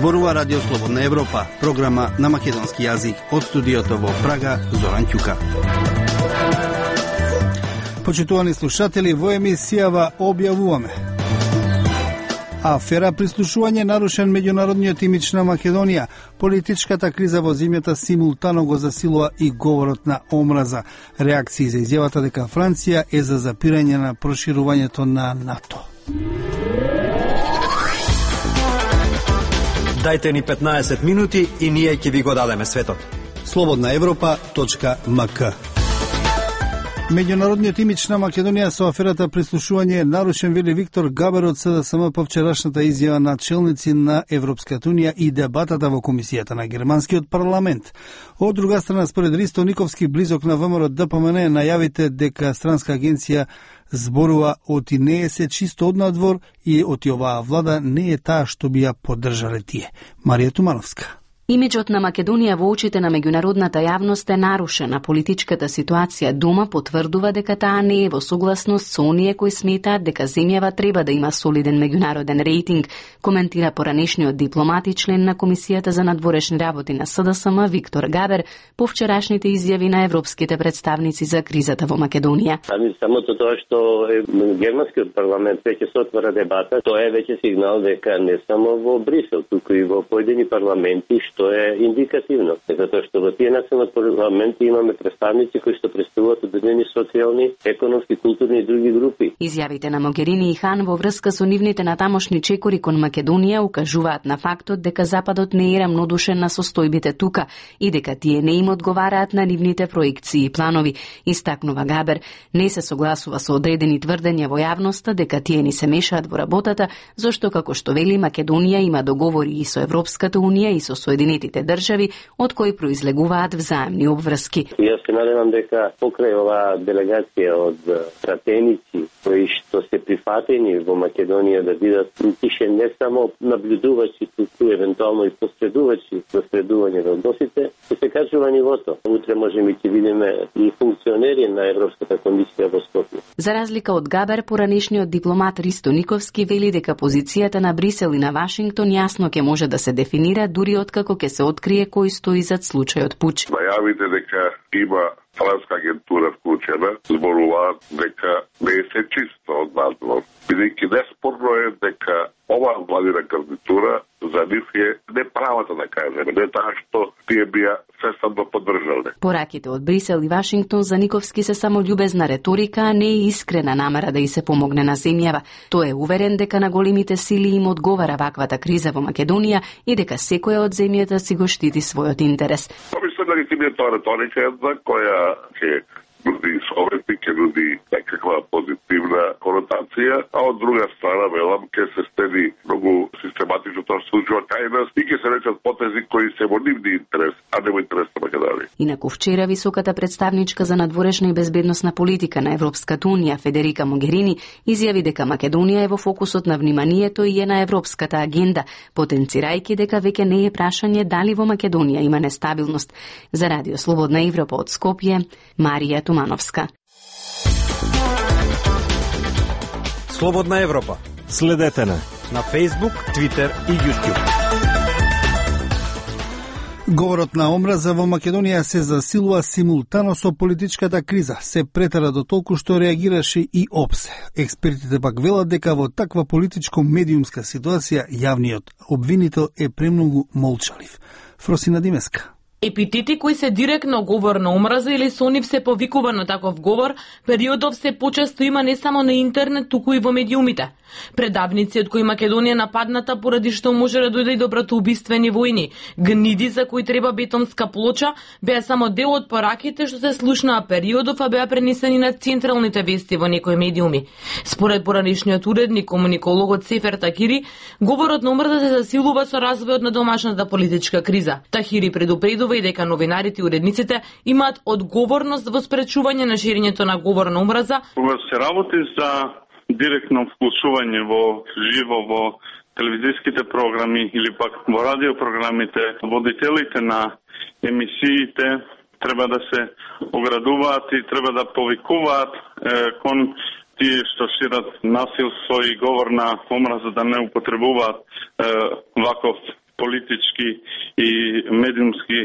Зборува Радио Слободна Европа, програма на македонски јазик од студиото во Прага, Зоран Ќука. Почитувани слушатели, во емисијава објавуваме: афера прислушување нарушен меѓународниот имидж на Македонија, политичката криза во земјата симултано го засилува и говорот на омраза, реакции за изјавата дека Франција е за запирање на проширувањето на НАТО. Дајте ни 15 минути и ние ќе ви го дадеме светот. slobodnaevropa.mk. Меѓународниот имидж на Македонија со аферата прислушување е нарушен, вели Виктор Габер од СДСМ по вчерашната изјава на челници на Европската унија и дебатата во комисијата на германскиот парламент. Од друга страна, според Ристо Никовски, близок на ВМРО ДПМН, најавите дека странска агенција зборува оти не е се чисто од надвор и оти оваа влада не е таа што би ја поддржале тие. Марија Тумановска. Имиджот на Македонија во очите на меѓународната јавност е нарушена. Политичката ситуација дома потврдува дека таа не е во согласност со оние кои сметаат дека земјава треба да има солиден меѓународен рейтинг, коментира поранешниот дипломат и член на Комисијата за надворешни работи на СДСМ Виктор Габер по вчерашните изјави на европските представници за кризата во Македонија. Самото тоа што германскиот парламент веќе се отвара дебата, тоа е веќе сигнал дека не само во Брисел, туку и во поедини парламенти, што е индикативно, затоа што во тие национални парламенти имаме представници кои што представуваат одредени социјални, економски, културни и други групи. Изјавите на Могерини и Хан во врска со нивните натамошни чекори кон Македонија укажуваат на фактот дека Западот не е рамнодушен на состојбите тука и дека тие не им одговараат на нивните проекции и планови. Истакнува Габер, не се согласува со одредени тврдења во јавноста дека тие ни се мешаат во работата, зашто како што вели Македонија има договори и со Европската унија и со Соединетите држави, од кои произлегуваат взаемни обврски. Јас се надевам дека покрај оваа делегација од пратеници кои што се прифатени во Македонија да бидат тише не само наблюдувачи, туку евентуално и посредувачи за средување на односите, ќе се качува нивото. Утре можеме ќе видиме и функционери на Европската комисија во Скопје. За разлика од Габер, поранешниот дипломат Ристо Никовски вели дека позицијата на Брисел и на Вашингтон јасно ќе може да се дефинира дури откако ќе се открие кој стои зад случајот Пуч. Најавите дека има странска агентура вклучена, зборуваат дека не е се чисто од надвор. Бидејќи неспорно е дека оваа владина кандидатура за нив е неправата, да кажеме, не таа што тие бија сесамно поддржале. Пораките од Брисел и Вашингтон за Никовски се само љубезна реторика, а не е искрена намера да и се помогне на земјава. Тој е уверен дека на големите сили им одговара ваквата криза во Македонија и дека секоја од земјата си го штити својот интерес. Мислам дека тоа реторика е една која ќе нуди совети, ќе нуди некаква позитивна конотација, а од друга страна, велам, ќе се стеди многу систематично тоа што случува кај нас и ќе се речат потези кои се во нивни интерес, а не во интерес на Македонија. Инаку вчера високата представничка за надворешна и безбедносна политика на Европската унија Федерика Могерини изјави дека Македонија е во фокусот на вниманието и е на европската агенда, потенцирајќи дека веќе не е прашање дали во Македонија има нестабилност. За Радио Слободна Европа од Скопје, Марија Тумановска. Слободна Европа. Следете на Facebook, Twitter и YouTube. Говорот на омраза во Македонија се засилува симултано со политичката криза. Се претера до толку што реагираше и ОПСЕ. Експертите пак велат дека во таква политичко-медиумска ситуација јавниот обвинител е премногу молчалив. Фросина Димеска. Епитети кои се директно говор на омраза или со нив се повикува на таков говор, периодов се почесто има не само на интернет, туку и во медиумите. Предавници од кои Македонија нападната поради што може да дојде и до братоубиствени војни, гниди за кои треба бетонска плоча, беа само дел од пораките што се слушнаа периодов, а беа пренесени на централните вести во некои медиуми. Според поранешниот уредник, комуникологот Сефер Такири, говорот на омраза се засилува со развојот на домашната политичка криза. Тахири предупредува и дека новинарите и уредниците имаат одговорност во спречување на ширењето на говор на омраза. Кога се работи за директно вклучување во живо во телевизиските програми или пак во радиопрограмите, водителите на емисиите треба да се оградуваат и треба да повикуваат кон тие што шират насилство и говор на омраза да не употребуваат ваков политички и медиумски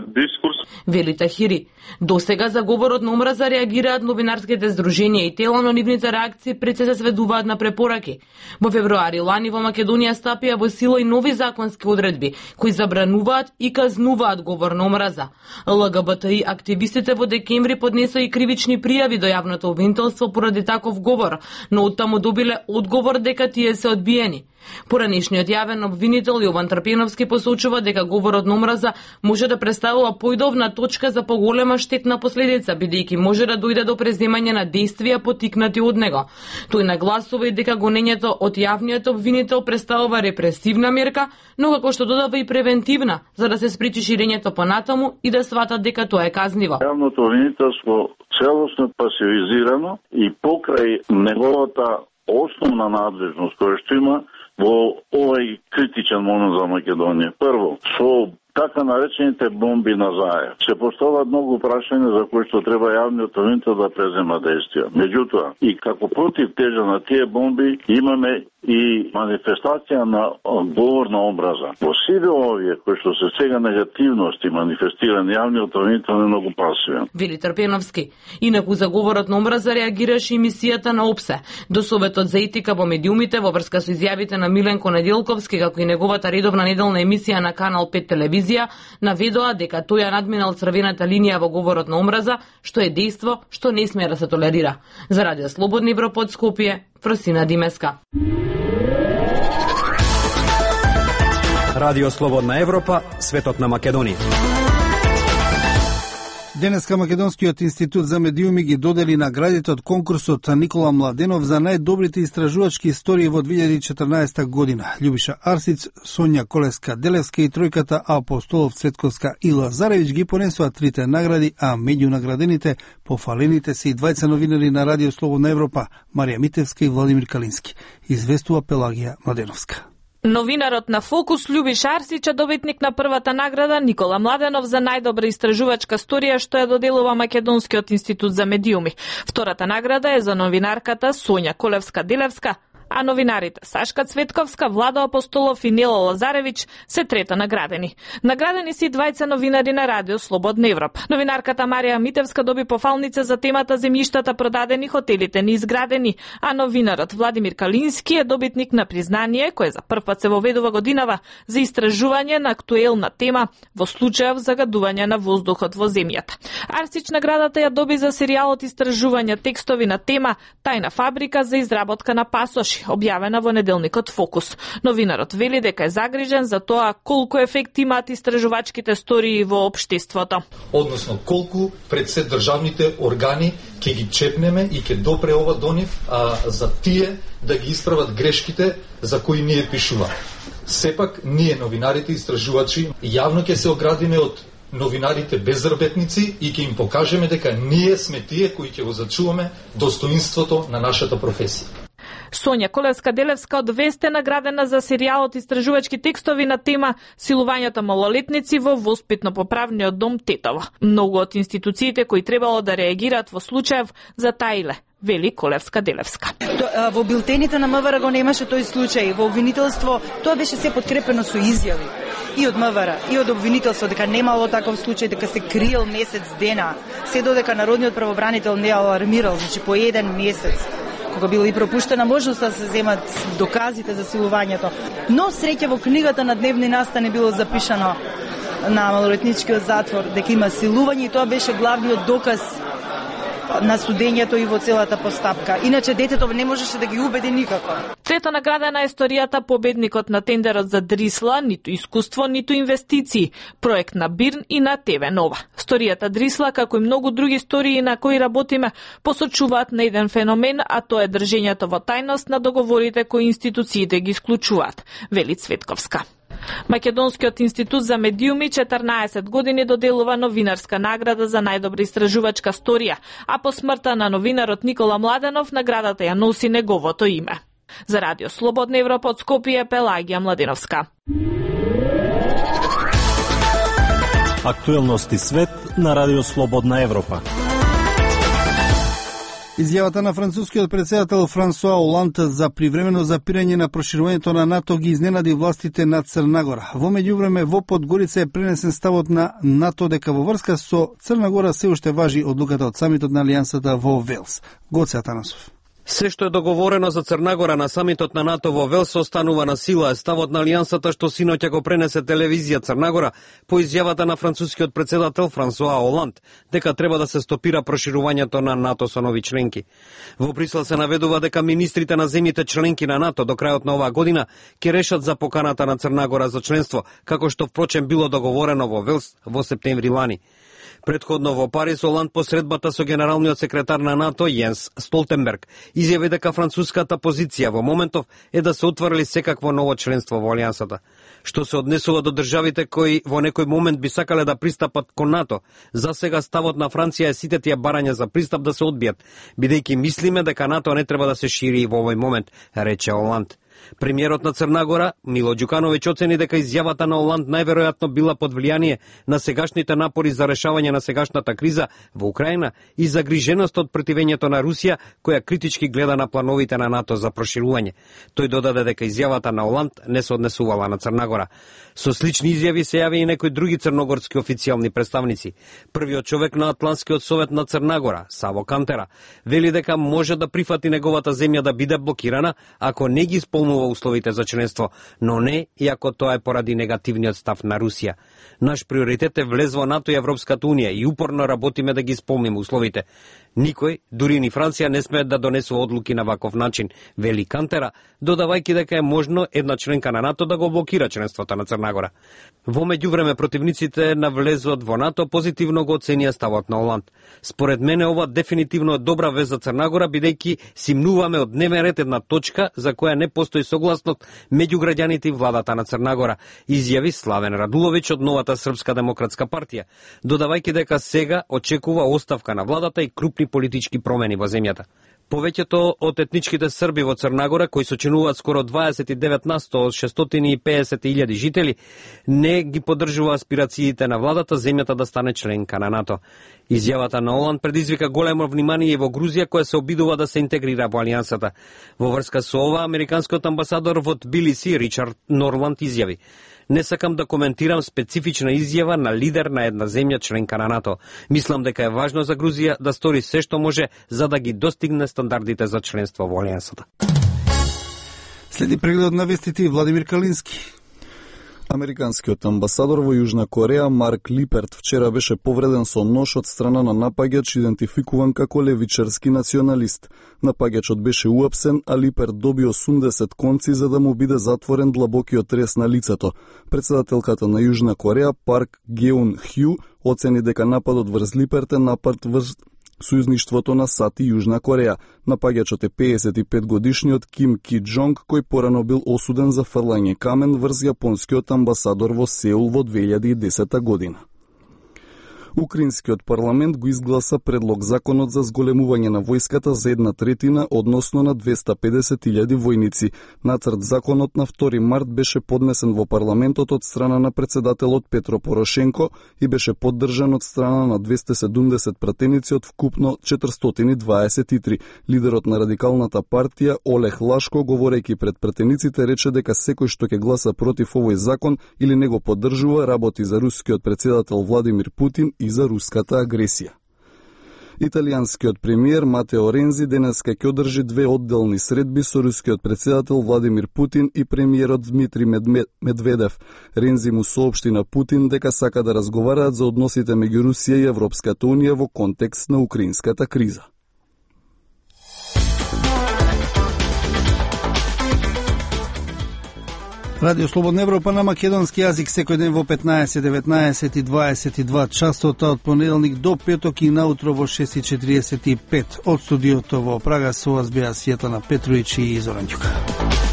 дискурс. Вели Тахири, досега за говорот на омраза реагираат новинарските здруженија и тела, но нивните реакции пред се сведуваат на препораки. Во февруари лани во Македонија стапија во сила и нови законски одредби кои забрануваат и казнуваат говор на омраза. ЛГБТИ активистите во декември поднесоа и кривични пријави до јавното обвинителство поради таков говор, но оттаму добиле одговор дека тие се одбиени. Поранешниот јавен обвинител Јован Трпеновски посочува дека говорот на омраза може да представува поидовна точка за поголема штетна последица, бидејќи може да дојде до преземање на действија поттикнати од него. Тој нагласува и дека гонењето од јавниот обвинител представува репресивна мерка, но како што додава и превентивна, за да се спречи ширењето понатаму и да сватат дека тоа е казниво. Јавното обвинителство целосно пасивизирано и покрај неговата основна надлежност која што има во овој критичен момент за Македонија. Прво, со така наречените бомби на заев се поставаат многу прашања за кои што треба јавниот обвинител да презема действија. Меѓутоа, и како против тежа на тие бомби имаме и манифестација на говор на омраза. Во сите овие кои што се сега негативности манифестирани, јавниот обвинител е многу пасивен. Вели Трпеновски. Инаку за говорот на омраза реагираше емисијата на ОПСЕ. До Советот за етика во медиумите во врска со изјавите на Миленко Неделковски, како и неговата редовна неделна емисија на Канал 5 телевизија, наведоа дека тој ја надминал црвената линија во говорот на омраза, што е дејство што не смее да се толерира. За Радио Слободна Европа од Скопје, Фросина Димеска. Радио Слободна Европа, светот на Македонија. Денеска Македонскиот институт за медиуми ги додели наградите од конкурсот Никола Младенов за најдобрите истражувачки истории во 2014 година. Љубиша Арсиц, Сонја Колевска-Делевска и тројката Апостолов, Цветковска и Лазаревиќ ги понесоа трите награди, а меѓу наградените пофалените се и двајца новинари на Радио Слободна Европа, Марија Митевска и Владимир Калински, известува Пелагија Младеновска. Новинарот на Фокус Љубиша Арсиќ е добитник на првата награда Никола Младенов за најдобра истражувачка сторија што ја доделува Македонскиот институт за медиуми. Втората награда е за новинарката Сонја Колевска-Делевска, а новинарите Сашка Цветковска, Владо Апостолов и Нела Лазаревиќ се трета наградени. Наградени се и двајца новинари на Радио Слободна Европа. Новинарката Марија Митевска доби пофалница за темата земјиштата продадени, хотелите неизградени, а новинарот Владимир Калински е добитник на признание кое за прв пат се воведува годинава за истражување на актуелна тема во случајов загадување на воздухот во земјата. Арсиќ наградата ја доби за серијалот истражување текстови на тема Тајна фабрика за изработка на пасоши, објавена во неделникот Фокус. Новинарот вели дека е загрижен за тоа колку ефект имаат истражувачките стории во општеството. Односно, колку пред се државните органи ќе ги чепнеме и ќе допре ова до нив за тие да ги исправат грешките за кои ние пишува. Сепак, ние новинарите истражувачи јавно ќе се оградиме од новинарите безработници и ќе им покажеме дека ние сме тие кои ќе го зачуваме достоинството на нашата професија. Сонја Колевска-Делевска од Вест е наградена за серијалот истражувачки текстови на тема Силувањето малолетници во воспитно-поправниот дом Тетово. Многу од институциите кои требало да реагираат во случаев затаиле, вели Колевска-Делевска. Во билтените на МВР го немаше тој случај, во обвинителство тоа беше се подкрепено со изјави и од МВР, и од обвинителство дека немало таков случај, дека се криел месец дена, се додека народниот правобранител не алармирал, значи по еден месец, кога била и пропуштена можноста да се земат доказите за силувањето. Но среќа во книгата на дневни настани било запишано на малолетничкиот затвор дека има силување и тоа беше главниот доказ на судењето и во целата постапка. Иначе детето не можеше да ги убеди никако. Трета наградена е историјата победникот на тендерот за Дрисла, ниту искуство, ниту инвестиции, проект на Бирн и на ТВ Нова. Историјата Дрисла, како и многу други истории на кои работиме, посочуваат на еден феномен, а тоа е држењето во тајност на договорите кои институциите ги исклучуваат, вели Цветковска. Македонскиот институт за медиуми 14 години доделува новинарска награда за најдобра истражувачка сторија, а по смртта на новинарот Никола Младенов наградата ја носи неговото име. За Радио Слободна Европа од Скопје, Пелагија Младеновска. Актуелности свет на Радио Слободна Европа. Изјавата на францускиот председател Франсуа Оланд за привремено запирање на проширувањето на НАТО ги изненади властите на Црна Гора. Во меѓувреме во Подгорица е пренесен ставот на НАТО дека во врска со Црна Гора се уште важи одлуката од самитот на Алијансата во Велс. Гоце Атанасов. Се што е договорено за Црна Гора на самитот на НАТО во Велс останува на сила, е ставот на Алијансата што синоќа го пренесе телевизија Црна Гора по изјавата на францускиот председател Франсуа Оланд дека треба да се стопира проширувањето на НАТО со нови членки. Во Брисел се наведува дека министрите на земјите членки на НАТО до крајот на оваа година ќе решат за поканата на Црна Гора за членство, како што впрочем било договорено во Велс во септември лани. Предходно во Париз, Оланд по средбата со генералниот секретар на НАТО Јенс Столтенберг изјави дека француската позиција во моментов е да се отвори секакво ново членство во Алијансата. Што се однесува до државите кои во некој момент би сакале да пристапат кон НАТО, за сега ставот на Франција е сите тие барања за пристап да се одбијат, бидејќи мислиме дека НАТО не треба да се шири во овој момент, рече Оланд. Премиерот на Црна Гора, Мило Ѓукановиќ, оцени дека изјавата на Оланд најверојатно била под влијание на сегашните напори за решавање на сегашната криза во Украина и загриженост од противењето на Русија, која критички гледа на плановите на НАТО за проширување. Тој додаде дека изјавата на Оланд не се однесувала на Црна Гора. Со слични изјави се јави и некои други црногорски официјални представници. Првиот човек на Атлантскиот совет на Црна Гора, Саво Кантера, вели дека може да прифати неговата земја да биде блокирана ако не ги исполнува условите за членство, но не и ако тоа е поради негативниот став на Русија. Наш приоритет е влез во НАТО и Европската унија и упорно работиме да ги исполниме условите. Никој, дури ни Франција, не смее да донесува одлуки на ваков начин, вели Кантера, додавајќи дека е можно една членка на НАТО да го блокира членството на Црна Гора. Во меѓувреме противниците на влезот во НАТО позитивно го оценија ставот на Оланд. Според мене ова дефинитивно е добра вест за Црна Гора, бидејќи симнуваме од дневен ред една точка за која не постои согласност меѓу граѓаните и владата на Црна Гора, изјави Славен Радуловиќ од Новата Српска демократска партија, додавајќи дека сега очекува оставка на владата и крупни политички промени во земјата. Повеќето од етничките срби во Црна Гора, кои сочинуваат скоро 29% од 650.000 жители, не ги поддржува аспирациите на владата земјата да стане членка на НАТО. Изјавата на Оланд предизвика големо внимание и во Грузија, која се обидува да се интегрира во Алијансата. Во врска со ова, американскиот амбасадор во Тбилиси Ричард Норланд изјави: "Не сакам да коментирам специфична изјава на лидер на една земја членка на НАТО. Мислам дека е важно за Грузија да стори се што може за да ги достигне стандардите за членство во Алијансата." Следи преглед на вестите Владимир Калински. Американскиот амбасадор во Јужна Кореја Марк Липерт вчера беше повреден со нож од страна на напаѓач идентификуван како левичарски националист. Напаѓачот беше уапсен, а Липерт доби 80 конци за да му биде затворен длабокиот трес на лицето. Председателката на Јужна Кореја Парк Геун Хју оцени дека нападот врз Липерт е напад врз сојузништвото на САД и Јужна Кореја. Напаѓачот е 55 годишниот Ким Ки Џонг, кој порано бил осуден за фрлање камен врз јапонскиот амбасадор во Сеул во 2010 година. Украинскиот парламент го изгласа предлог законот за зголемување на војската за 1/3, односно на 250.000 војници. Нацрт законот на 2 март беше поднесен во парламентот од страна на председателот Петро Порошенко и беше поддржан од страна на 270 пратеници од вкупно 423. Лидерот на радикалната партија Олег Лашко, говорејќи пред пратениците, рече дека секој што ќе гласа против овој закон или не го поддржува, работи за рускиот председател Владимир Путин и за руската агресија. Италијанскиот премиер Матео Рензи денеска ќе одржи 2 одделни средби со рускиот председател Владимир Путин и премиерот Дмитрий Медведев. Рензи му соопшти на Путин дека сака да разговараат за односите меѓу Русија и Европската унија во контекст на украинската криза. Радио Слободна Европа на македонски јазик секој ден во 15, 19 и 22 часот од понеделник до петок и наутро во 6:45 од студиото во Прага со вас беа Светлана Петровиќ и Зоран Ѓука.